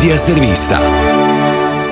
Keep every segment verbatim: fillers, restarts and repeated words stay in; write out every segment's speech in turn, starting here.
Medija servisa.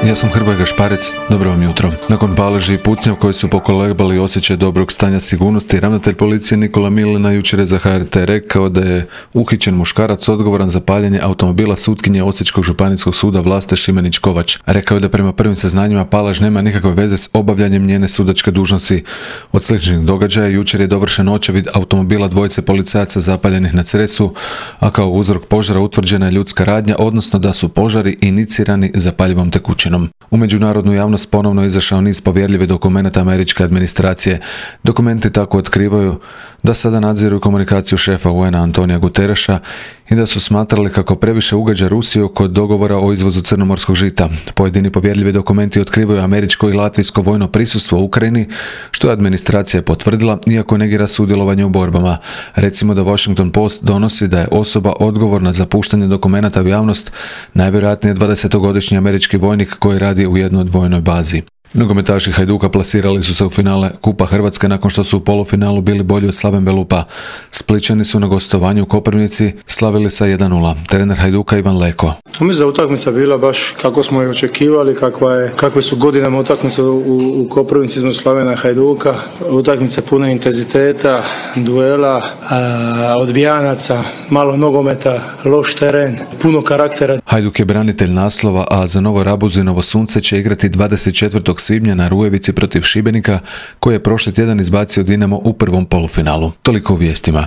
Ja sam Hrvoje Gašparec, dobro vam jutro. Nakon paleži i pucnjav koji su pokolebali osjećaj dobrog stanja sigurnosti, ravnatelj policije Nikola Milina jučer je za H R T rekao da je uhićen muškarac odgovoran za paljenje automobila sutkinje Osječkog županijskog suda Vlaste Šimenić-Kovač. Rekao je da prema prvim saznanjima palež nema nikakve veze s obavljanjem njene sudačke dužnosti. Od sličnih događaja jučer je dovršen očevid automobila dvojice policajaca zapaljenih na Cresu, a kao uzrok požara utvrđena je ljudska radnja, odnosno da su požari inicirani zapaljivom tekućinom. U međunarodnu javnost ponovno izašao niz povjerljivih dokumenata američke administracije. Dokumenti tako otkrivaju da sada nadziru komunikaciju šefa U N-a Antonija Gutereša i da su smatrali kako previše ugađa Rusiju kod dogovora o izvozu crnomorskog žita. Pojedini povjerljivi dokumenti otkrivaju američko i latvijsko vojno prisustvo u Ukrajini, što je administracija potvrdila, iako negira sudjelovanje u borbama. Recimo da Washington Post donosi da je osoba odgovorna za puštanje dokumenata u javnost najvjerojatnije dvadesetogodišnji američki vojnik koji radi u jednoj vojnoj bazi. Nogometaši Hajduka plasirali su se u finale Kupa Hrvatske nakon što su u polufinalu bili bolji od Slaven Belupa. Splićani su na gostovanju u Koprivnici slavili sa jedan nula. Trener Hajduka Ivan Leko. Mislim da je utakmica bila baš kako smo je očekivali, kakva je, kakve su godinama utakmice u, u Koprivnici između Slavena i Hajduka. Utakmica puna intenziteta, duela, a, odbijanaca, malo nogometa, loš teren, puno karaktera. Hajduk je branitelj naslova, a za Novo Rabuzinovo Sunce će igrati dvadeset četvrtog svibnja na Rujevici protiv Šibenika, koji je prošli tjedan izbacio Dinamo u prvom polufinalu. Toliko u vijestima.